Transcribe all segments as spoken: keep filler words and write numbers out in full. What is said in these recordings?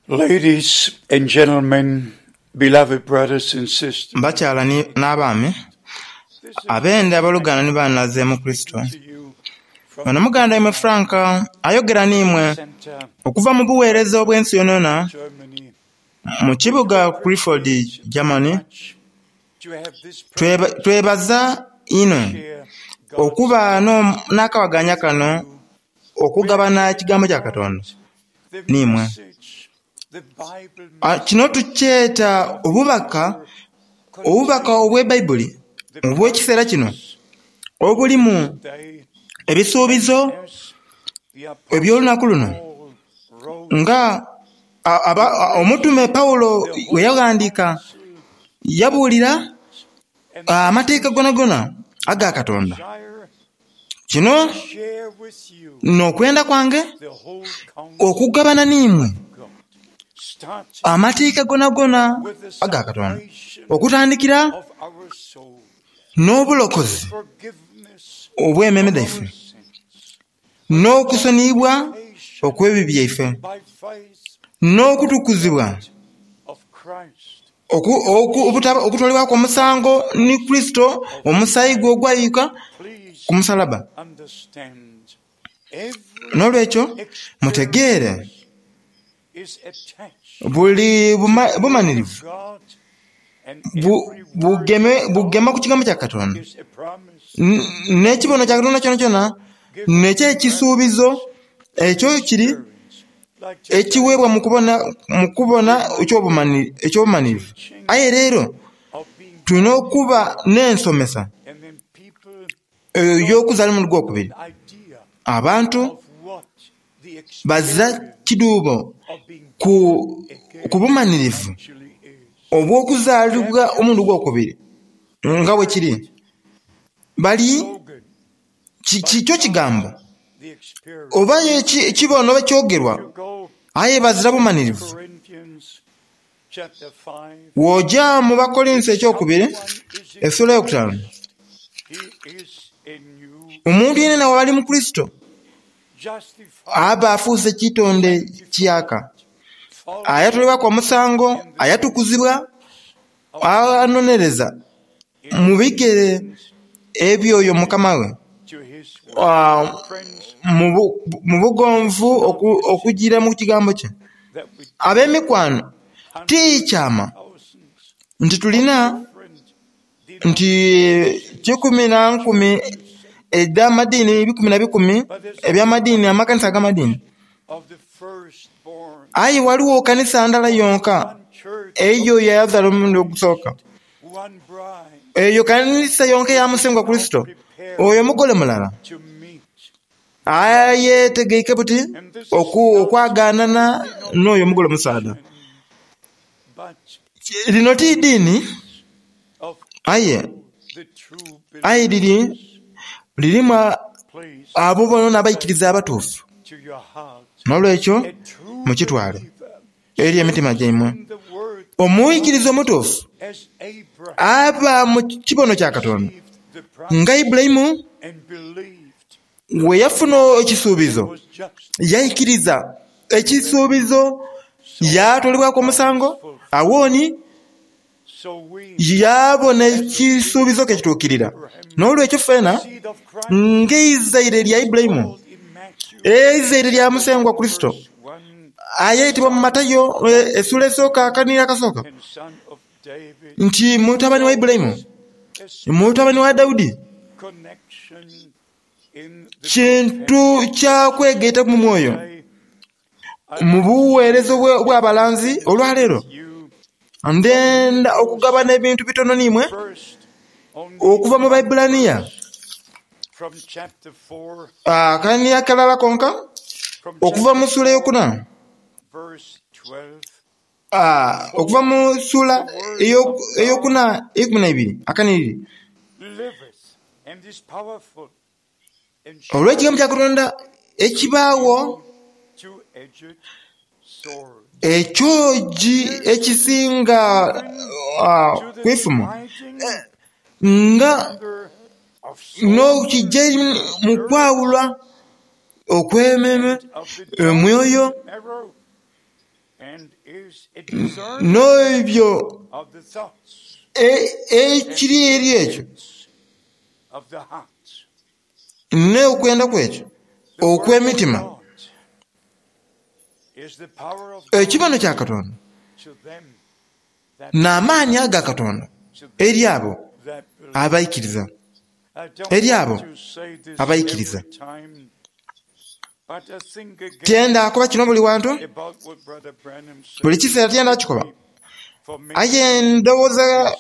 Ladies and gentlemen, beloved brothers and sisters, Bakyala n'abaami abende abaluganda ni banaze mu Kristo to you from ono muganda imwe Frank ayogera n'imwe Center, okuva mu buweereza obw'ensi yonayona Germany. mu kibuga Clifford, Germany. Much to have this Tweba- privilege twebaza inho to share God's okuba no- n'akawaganya kano okugabana ekigambo kya Katonda the n'imwe. message, the Bible Ah, Kino tukyeta obubaka obubaka obw'Ebaibuli obw'ekiseera kino obulimu day ebisuubizo as the apostle eby'olunaku luno Paul wrote nga a- aba- a- omutume Pawulo we yawandiika yabuulira and amateeka gonagona aga Katonda. desire Kino to share with you n'okwenda kwange the whole counsel okugabana n'imwe of God. Starting amateeka gonagona with the aga Katonda salvation okutandikira of our soul, n'obulokozi forgiveness obw'emmeeme of dhaife our sins n'okusoniyibwa okw'ebibi byaife by faith n'okutukuzibwa of Christ. oku- oku- obutaba- okutwalibwaku omusango ni Kristo omusaayi gwe ogwayika Please ku musalaba. understand every N'olwekyo mutegeere is attached buli buma- bumanirivu to God and bu- every word bugeme bugema ku kigambo kya Katonda is a promise. N- n'ekibono kya Katonda kyona kyona nekyo ekisuubizo ekyo kiri Like today, ekiweebwa mu kubona mu kubona eky'obumani- eky'obumanirivu aye leero of being tulina okuba n'ensomesa and then people ey'okuzaala omulundi gwokubiri idea abantu of what the bazira experience kiduubo of being ku, ku bumanirivu actually is. obw'okuzaalibwa omulundi gwokubiri nga bwe kiri bali Slogan, ki- kikyo kigambo the experience. oba eki- kibono oba kyogerwa You go aye bazira bumanirivu Corinthians chapter five. w'ojja mu Bakolinso ekyokubiri Someone is in essula eyokutaano Christ, he is a new omuntu yenna wali mu Kristo justified, aba afuuse kitonde kiyaka followed ayatolebwaku omusango ayatukuzibwa anonereza mu bigere ebyoyo mukama we to his word. Ah, Friends, mu bu- mu bugonvu oku- okugira mu kigambo kye that we ab'emikwano tikyama thousands nti tulina different nti kikumi na nkumi ed'amadiini bikumi na bikumi eby'amadiini amakanisa ag'amadiini of the firstborn. aye waliwo kanisa ndala yonka One church, eyo yayazaala omulundi ogusooka one bride eyo kanisa yonka eya musengwa Kristo oyo mugole mulala to meet. ayetegeike buti And this is oku- not okwagaanana n'oyo omugole omusaadha but lino ti ddiini of aye the true aye liri believers. lirimu a- Please abo bonna abaikiriza abatuufu to your heart. n'olwekyo A true mukitwale believer eri emitima gyaimwe in the word omuyikiriza omutuufu as Abraham aba mu kibono kya Katonda received the promise nga Ibulayimu and believed we yafuna ekisuubizo was just yayikiriza ekisuubizo yatolebwako omusango awooni so we yabona ekisuubizo ke kituukirira n'olwekyo ffena seed of Christ ng'eizaire lya Ibulayimu called in Matthew eizaire lya musengwa Kristo verse one ayeyitibwa mu Matayo eh, essula esooka akanira akasooka and son of David nti mutabani wa Ibulayimu as mutabani wa Dawudi connection in the kintu kya kwegaita mu mwoyo day mu buweereza obwe- obw'abalanzi olwaleero you ndenda okugabana ebintu bitono n'imwe first only okuva mu Baibulaniya from chapter four akaniya kalala konka from okuva mu chapter ssuula eyokuna verse twelve Ah, okuva mu ssuula eyo- eyokuna ey'ekumi na ibiri akaniriri liveth and is powerful and olw'ekigambo kya Katonda ekibaawo two-edged sword ekyogi ekisinga ah, to the kwefumu dividing nga under of soul n'okijja mu kwawulwa okw'emmeeme of the omwoyo marrow and N'ebyo ekiri eri ekyo n'okwenda kwekyo okw'emitima. Ekibono kya Katonda n'amaani aga Katonda eri abo abaikiriza, eri abo abaikiriza. Tyenda kuba kino buli wantu, buli kiseera tyenda kikoba, aye ndowooza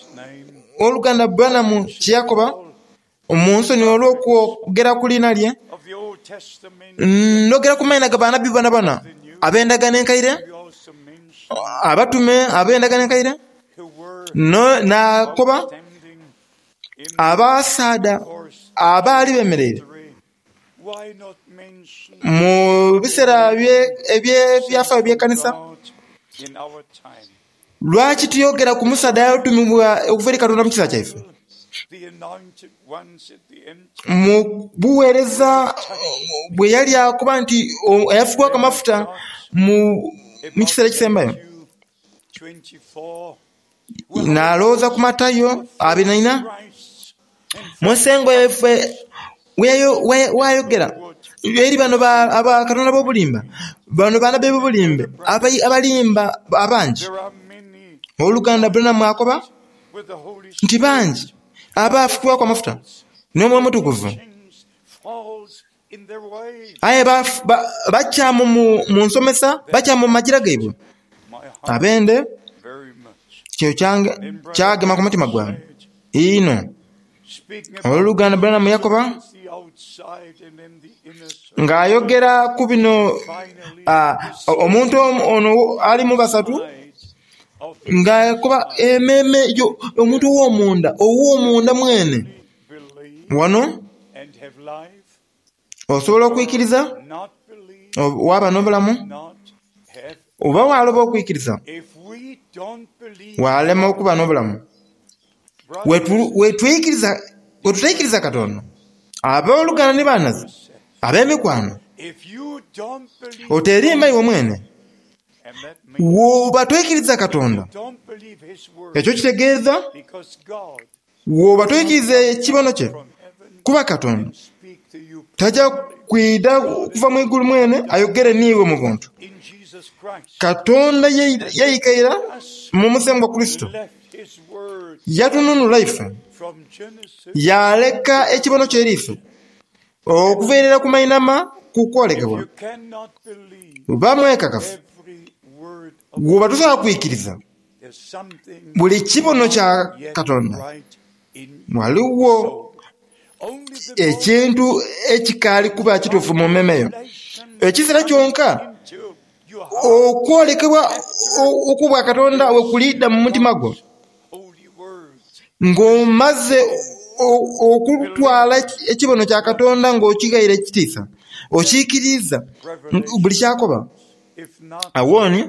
oluganda Branham kye yakoba mu nsonyi olw'okwogera ku liina lye, ndhogera ku maina ga bannabbi bonabona ab'endagaano enkaire, abatume ab'endagaano enkaire, n'akoba abasaadha abaali bemereire mu biseera eby'ebyafaayo eby'ekanisa. Lwaki tuyogera ku musaadha eyatumibwa okuva eri Katonda mu kiseera kyaife? Mu buweereza bwe yali akoba nti eyafukibwaku amafuta mu kiseera ekisembayo. Nalowooza ku Matayo abiri na ina, Musengo waife wayogera eri bano bakatonda b'obulimba, bano bannabbi b'obulimba abalimba abangi. Oluganda Branham akoba nti bangi abafukibwaku amafuta n'Omwoyo Omutukuvu, aye bakyamu mu nsomesa, bakyamu mu magira gaibwe. Abende kyo kyagema ku mutima gwange inho. Oluganda Branham yakoba ng'ayogera ku bino, omuntu ono ali mu basatu ng'akoba emmeeme omuntu ow'omunda, ow'omunda mwene. Wano osobola okwikiriza waba n'obulamu, oba waloba okwikiriza walema okuba n'obulamu. Wetutaikiriza Katonda, abooluganda ni banaze, ab'emikwano, oterimba iwe mwene. Woba toikiriza Katonda, ekyo kitegeeza woba toikiriza ekibono kye, kuba Katonda taja kwidha kuva mu igulu mwene ayogere niiwe mu buntu. Katonda yaikaira mu Musengwa Kurisito, yatununula ife, yaleka ekibono kye eri ife okuviirira ku mainhama ku kwolekebwa. Bamwekakafu woba tosobola kwikiriza buli kibono kya Katonda, ghaligho ekintu ekikaali kuba kituufu mu mmeeme yo. Ekiseera kyonka okwolekebwa okw'obwakatonda we kulidha mu mutima gwo, ng'omaze okutwala ekibono kya Katonda ng'okighaire ekitiisa, okiikiriza buli kyakoba. Awo ni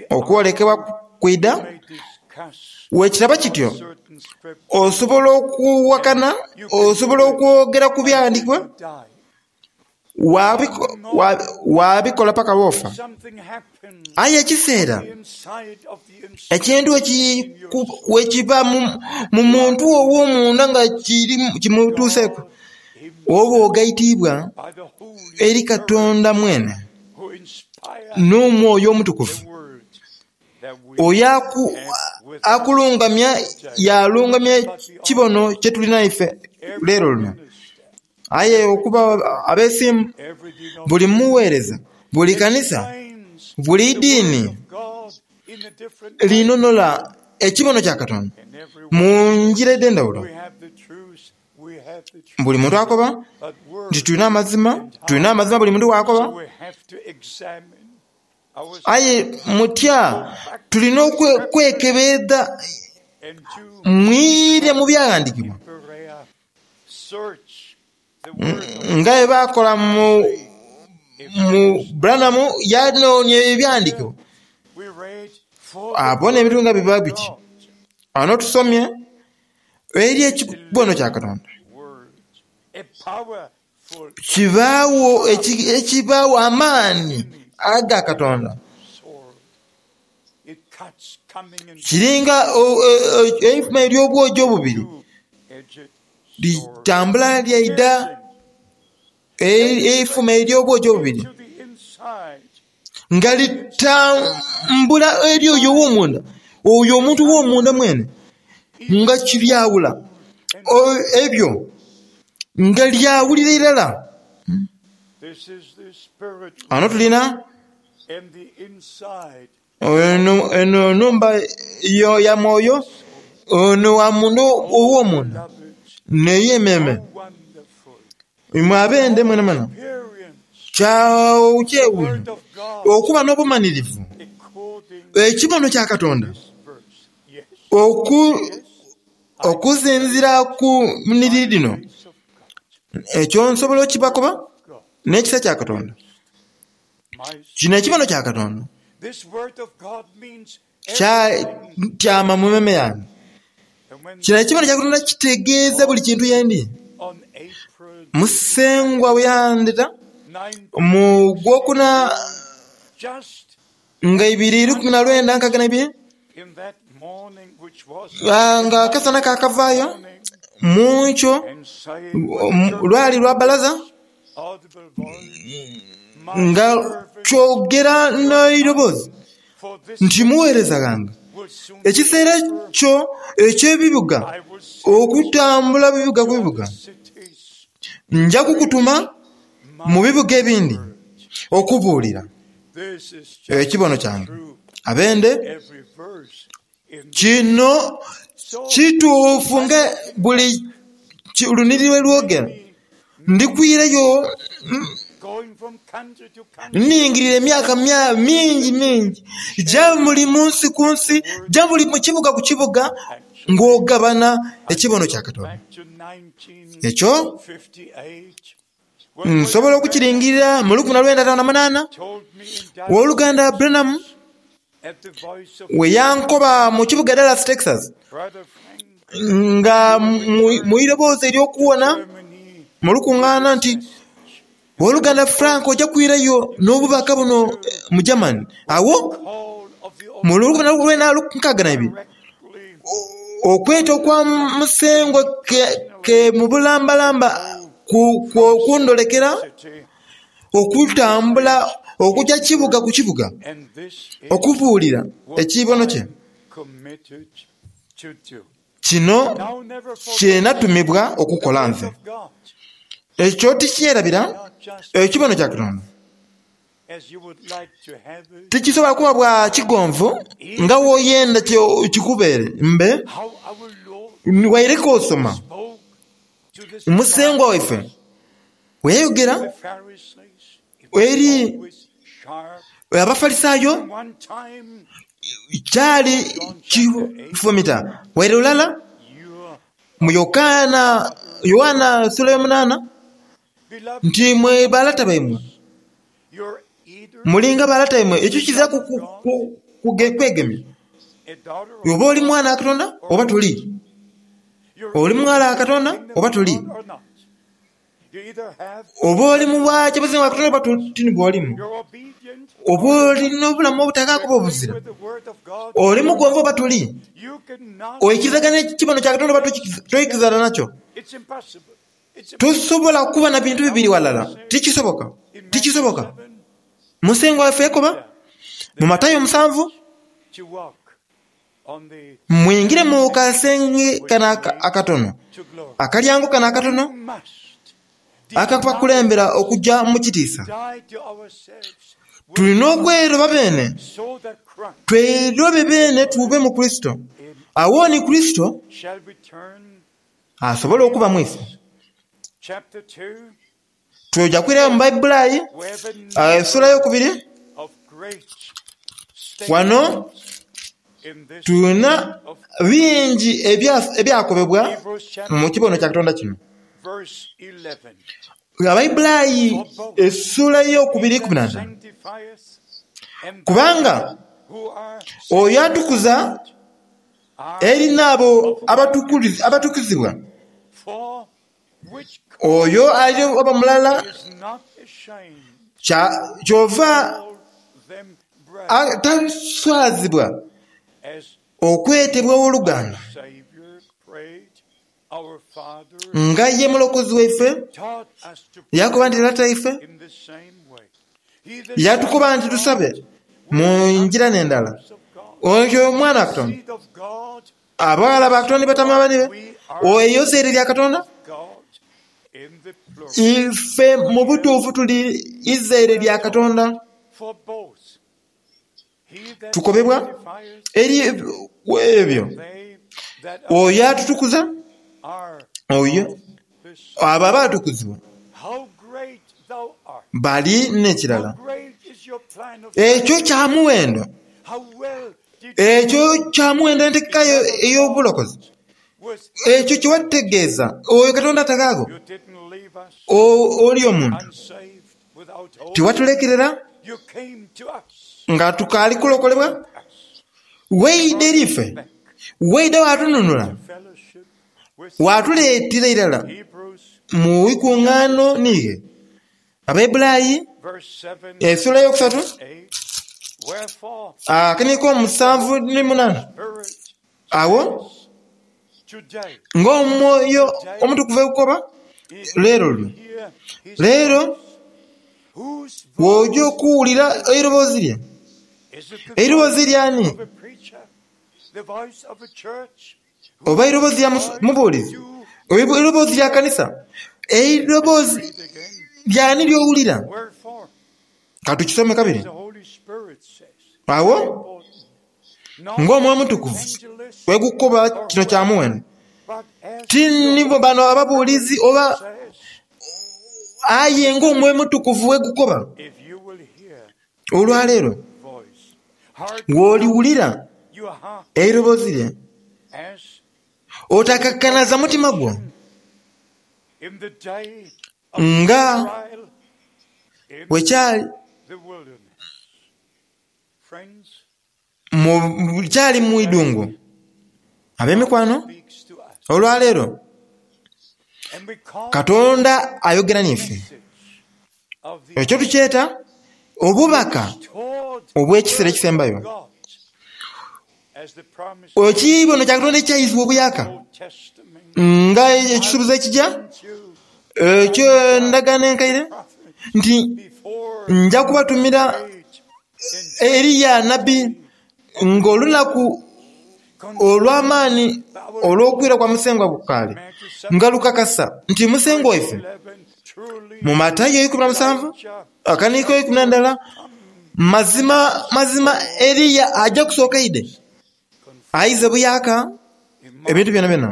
okwolekebwa kwidha, wekitaba kityo osobola okuwakana, osobola okwogera ku byandikibwa, wabikola paka lwofa. Aye ekiseera ekintu wekiba mu muntu ow'omunda nga kimutuuseku, oba ogaitiibwa eri Katonda mwene n'Omwoyo Omutukuvu oyo akulungamya yalungamya ekibono kye tulina ife leero luno. Aye okuba abeesimbu, buli muweereza, buli kanisa, buli diini linonola ekibono kya Katonda mu ngira edh'endhawulo. Buli muntu akoba nti tulina amazima, tulina amazima buli muntu bw'akoba. Aye mutya tulina okwekebeedha mwire mu byaghandiikibwa nga bwe baakola mu Branham yanoonia ebyawandiikibwa abone ebintu nga biba biti. Ghano tusomye eri ekibono kya Katonda kibaagho ekibaagho amaani aga Katonda Kiringa eifuma ery'obwogi obubiri litambula lyaida eifuma ery'obwogi obubiri nga litambula eri oyo ow'omunda, oyo omuntu ow'omunda mwene, nga kiryawula ebyo nga lyawulira irala. Ano tulina eno nhumba ya mwoyo, ono wa munda ow'omunda n'ey'ememe. Imwe abende mwenamwena kyewuunhio okuba n'obumanhirivu ekibono kya Katonda okusinziira ku nnhiriri dhino. Ekyo nsobola okibakoba n'ekisa kya Katonda. Kino ekibono kya Katonda kyatyama mu meme yange. Kino ekibono kya Katonda kitegeeza buli kintu yendi. Musengwa bwe yandheta mu gwokuna nga ibiri ikumi na lwenda nkaaga na ibiri, nga akasana kakavaayo mu nkyo lwali lwa balaza nga kyogera n'eiroboozi nti muweereza ghange ekiseera kyo eky'ebibuga okutambula bibuga ku bibuga, nja kukutuma mu bibuga ebindi okubuulira ekibono kyange. Abende kino kituufu nga buli lunhiriri lwe lwogera. Ndikwireyo nningirira emyaka mingi mingi ja buli munsi ku nsi, ja buli mu kibuga ku kibuga, ng'ogabana ekibono kya Katonda. Ekyo nsobola okukiringirira mu lukumi na lwenda ataanu na munaana, ow'oluganda Branham we yankoba mu kibuga Dallas, Texas, nga mu iroboozi ery'okuwona mu lukungaana nti ow'oluganda Frank ojja kwirayo n'obubaka buno mu Germany. Awo mu lukumi na lwenda nkaaga na ibiri okweta okwa Musengwa ke mu bulambalamba kundolekera okutambula okujja kibuga ku kibuga okubuulira ekibono kye. Kino kye natumibwa okukola nze. Ekyo tikyerabira ekibono kya Katonda tikisobola kuba bwa kigonvu nga w'oyenda kikubeere mbe waireka osoma Musengwa waife bwe yayogera eri Abafalisaayo kyali kifumita waire lulala mu Yokaana Yowaana sula y'omunaana nti mwe balata baimwe mulinga balata baimwe. Ekyo kizira kwegemya. Oba oli mwana wa Katonda oba toli, oli mughala wa Katonda oba toli, oba oli mu bwakyabazinga bwa Katonda oba tini bw'olimu, oba olina obulamu obutakakuba obuzira, oli mugonvu oba toli, oikirizagana ekibono kya Katonda oba toikirizana nakyo. Tosobola kuba na bintu bibiri walala, tikisoboka, tikisoboka. Musengwa waife yakoba mu Matayo musanvu, mwingire mu kasenge kano akatono, akalyango kano akatono akabakulembera okujja mu kitiisa. Tulina okweroba beene, twerobe beene tube mu Kurisito. Awo ni Kurisito asobola okuba mu ife. Tuja kwirayo mu Baibuli essuula ey'okubiri. Wano tulina bingi ebyakobebwa mu kibono kya Katonda kino. Abaibulayi essuula ey'okubiri ikumi na ntaanu. Kubanga oyo atukuza eri n'abo abatukuzibwa, oyo ali oba mulala kyova Taswazibwa okwetebwa owooluganda. Nga ye mulokozi waife yakoba nti Lata ife, yatukoba nti tusabe mu njira n'endala. Oyo omwana wa Katonda, abaghala ba Katonda batama banibe, eyo zaire lya Katonda. Ife mu butuufu tuli izaire lya Katonda. Tukobebwa eri ebyo oyo atutukuza, oyo abo abaatukuzibwa bali n'ekirala. Ekyo kya muwendo, ekyo kya muwendo entegeka ey'obulokozi. Ekyo kye wategeeza oyo Katonda ataghaagho oli omuntu tiwatulekerera nga tukaali kulokolebwa. Waidha eri ife, waidha watununula, watuleetera irala mu ikungaano niighe. Abaebulayi esula eyokusatu akaniko omusanvu ni munaana. Awo ng'omwoyo omutukuvu ekukoba leero lwo leero w'oja okuwulira eiroboozi lye. Eiroboozi lyani? Oba eiroboozi lya mubuulizi? Eiroboozi lya kanisa? Eiroboozi lyani ly'owulira? Katukisome kabiri. Awo ng'omwoyo omutukuvu wegukukoba kino kya muwendo, ti nibo bano ababuulizi oba aye ng'omwoyo omutukuvu wegukoba olwaleero w'oliwulira eiroboozi lye, otakakanaza mutima gwo nga bwekyali kyali mu idungu. Ab'emikwano, olwaleero Katonda ayogera n'ife. Ekyo tukyeta obubaka obw'ekiseera ekisembayo. Ekibono kya Katonda ekyaizibwa obuyaka nga ekisuubizo ekija eky'endagaano enkaire nti nja kubatumira Eriya nabbi ng'olunaku olw'amaani olw'okwira kwa Musengwa bukaali, nga lukakasa nti Musengwa waife mu Matayo ikumi na musanvu akaniiko ikumi na ndala, mazima mazima Eriya ajja kusooka ide aize buyaka ebintu byona byona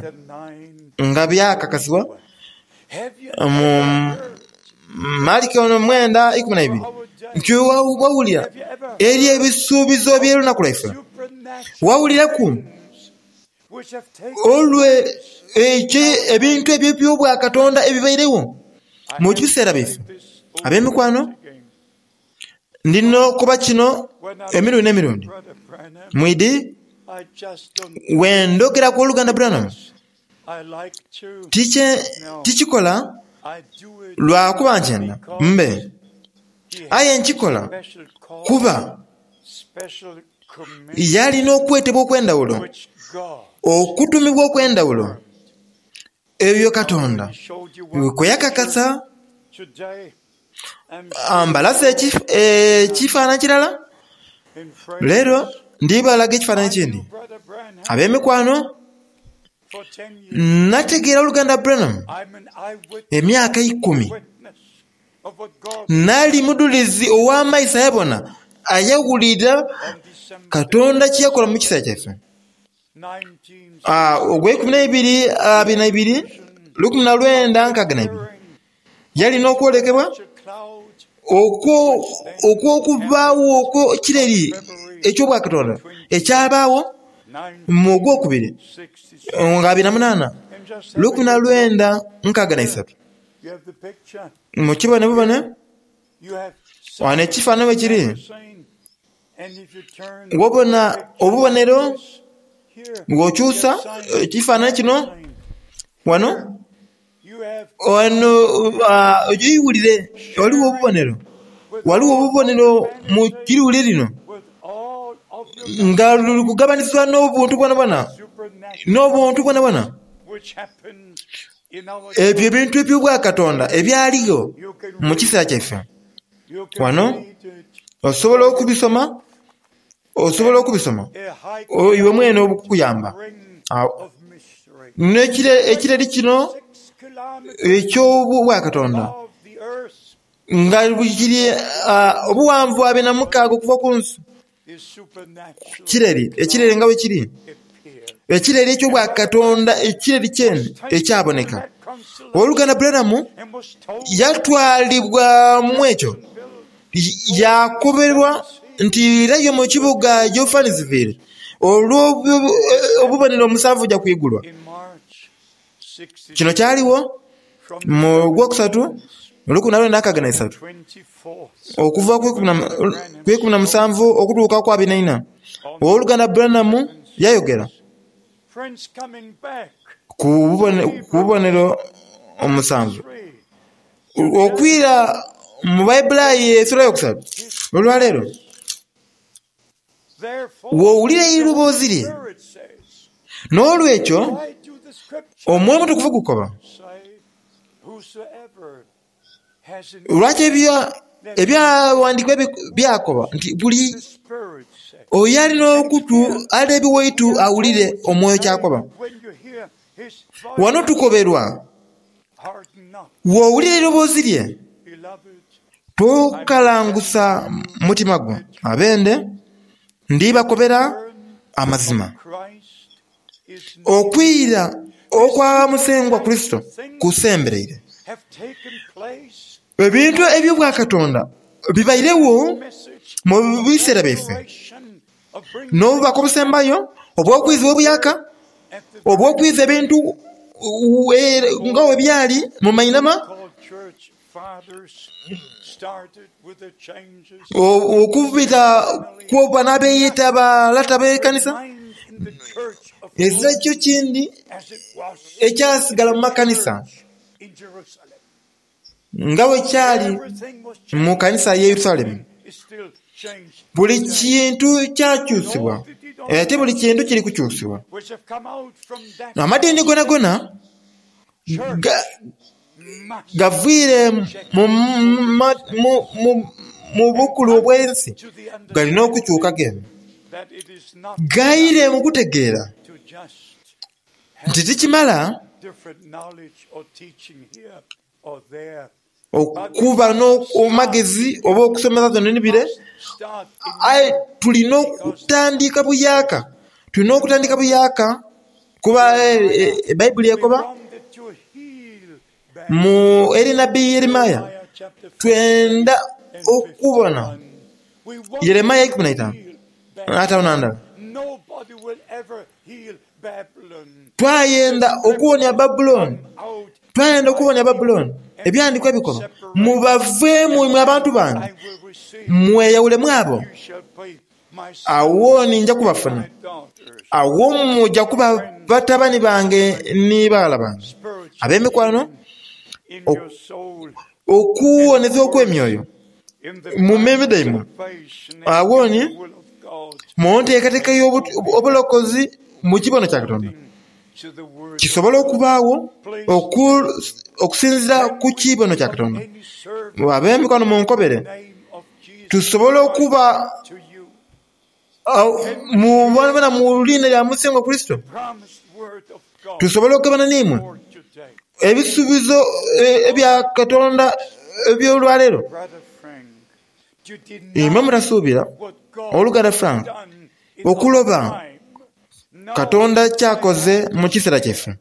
nga byakakasibwa mu Mariko ono mwenda ikumi na ibiri nti wawulira eri ebisuubizo by'olunaku lwaife, wawuliraku olwe ekyo ebintu ebyo eby'obwakatonda ebibairewo mu biseera byaife. Ab'emikwano, ndina okuba kino emirundi n'emirundi. Mwidi wendogera ku oluganda Branham, tikikola lwakuba nkyenda mbe, aye nkikola kuba yalina okwetebwa okw'endawulo, okutumibwa okw'endawulo, ebyo Katonda kwe yakakasa. Ambalase ekifaananyi kirala, leero ndibalaga ekifaananyi ekindi. Ab'emikwano, nategeera oluganda Branham emyaka ikumi. Nali mudulizi ow'amaiso ayabona ayawulira Katonda kye yakola mu kiseera kyaife. Ogw'eikumi n'eibiri abiri na ibiri lukumi na lwenda nkaaga na ibiri yalina okwolekebwa okw'okubaawo okw'ekireri eky'obwakatonda ekyabaawo mu gwokubiri nga abiri na munaana lukumi na lwenda nkaaga na isatu. Mukibone bubone wano ekifaananyi bwe kiri, wobona obubonero ng'okyusa ekifaananyi kino wano wano ogiwulire, ghaligho obubonero, ghaligho obubonero mu kiruuli lino. Nga luli kugabanizibwa n'obuntu bwonabwona, n'obuntu bwonabwona. Ebyo ebintu eby'obwakatonda ebyaliyo mu kiseera kyaife. Wano osobola okubisoma, osobola okubisoma iwe mwene obukukuyamba. N'ekireri kino eky'obwakatonda nga kiri obuwanvu abiri na mukaaga okuva ku nsi. Kireri, ekireri nga bwe kiri. Ekireri eky'obwakatonda, ekireri kyene ekyaboneka. Owooluganda Branham yatwalibwamu ekyo, yakoberwa nti irayo mu kibuga Johannesville olw'obubonero omusanvu buja kwigulwa. Kino kyaliwo mu gwokusatu lukumi na lwenda nkaaga na isatu okuva ku ikumi na musanvu okutuuka ku abiri na ina. Owooluganda Branham yayogera ku bubonero omusanvu okwira mu Baibulayi esula yokusatu olwaleero. W'owulira eiroboozi lye. N'olwekyo omwoyo omutukuvu gukoba, lwaki ebyawandiikibwa byakoba nti buli oyo alina okutu alina ebiwaitu awulire omwoyo kyakoba. Wano tukoberwa, w'owulira eiroboozi lye tokalangusa mutima gwo. Abende ndibakobera amazima. Okwira okwa Musengwa Kurisito kusembereire. Ebintu eby'obwakatonda bibairewo mu biseera byaife. N'obubaka obusembayo obw'okwizibwa obuyaka, obw'okwiza ebintu nga bwe byali mu mainhama, okubita ku bano abeeyeta balata b'ekanisa, ezira kyo kindi ekyasigala mu makanisa nga bwe kyali mu kanisa y'e Yerusalemu. Buli kintu kyakyusibwa, ate buli kintu kiri kukyusibwa. Amadiini gonagona gavwire mu bukulu obw'ensi galina okukyuka gene. Gaire mu kutegeera nti tikimala okuba n'amagezi oba okusomesa zino ni bire, aye tulina okutandika buyaka. Tulina okutandika buyaka kuba Baibuli ekoba mu eri nabbi Yeremaya twenda okubona Yeremaya ikumi na itaanu ataano na ndala. Twayenda okuwonia Babulooni, twayenda okuwonia Babulooni. Ebyawandiikibwa ebikoba, mubaveemu imwe abantu bange, mweyawulemu abo, awo ninja kubafuna, awo muja kuba batabani bange ni baghala bange ab'emikwano, okuwonezebwa okw'emyoyo mu mmeeme dhaimwe. Awo ni mu nteekateeka y'obulokozi mu kibono kya Katonda kisobola okubaagho okusinziira ku kibono kya Katonda. Ab'emikwano munkobere, tusobola okuba mubona mu liina lya Musengwa Kurisito, tusobola okugabana n'imwe ebisuubizo ebya Katonda eby'olwaleero. Imwe mutasuubira, oluganda Frank, okuloba Katonda kyakoze mu kiseera kyaife.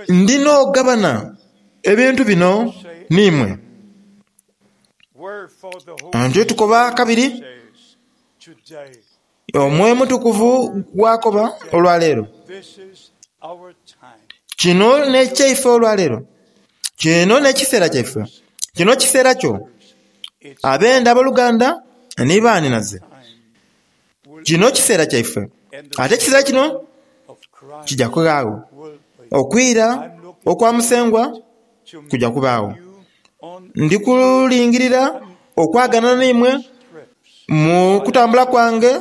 Ndina okugabana ebintu bino n'imwe. Ntyo tukoba kabiri, omwoyo omutukuvu gwakoba olwaleero. Kino n'ekyaife olwaleero. Kino n'ekiseera kyaife. Kino kiseera kyo. Abenda abooluganda ni baaninaze. Kino kiseera kyaife. Ate ekiseera kino kijja kubaagho. Okwira okwa Musengwa kujja kubaagho. Ndi kulingirira okwagana n'imwe Mu kutambula kwange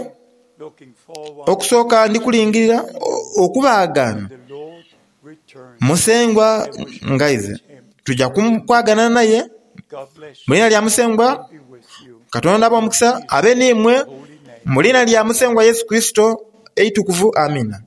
Looking forward okusooka ndi kulingirira o- okubaagaana the Lord returns. Musengwa ngaize tujja kwagana naye God bless mu you. lina lya Musengwa. Be with you. Katonda abe omukisa abe niimwe Holy name. mu lina lya Musengwa Yesu Kristo eitukuvu. Amina.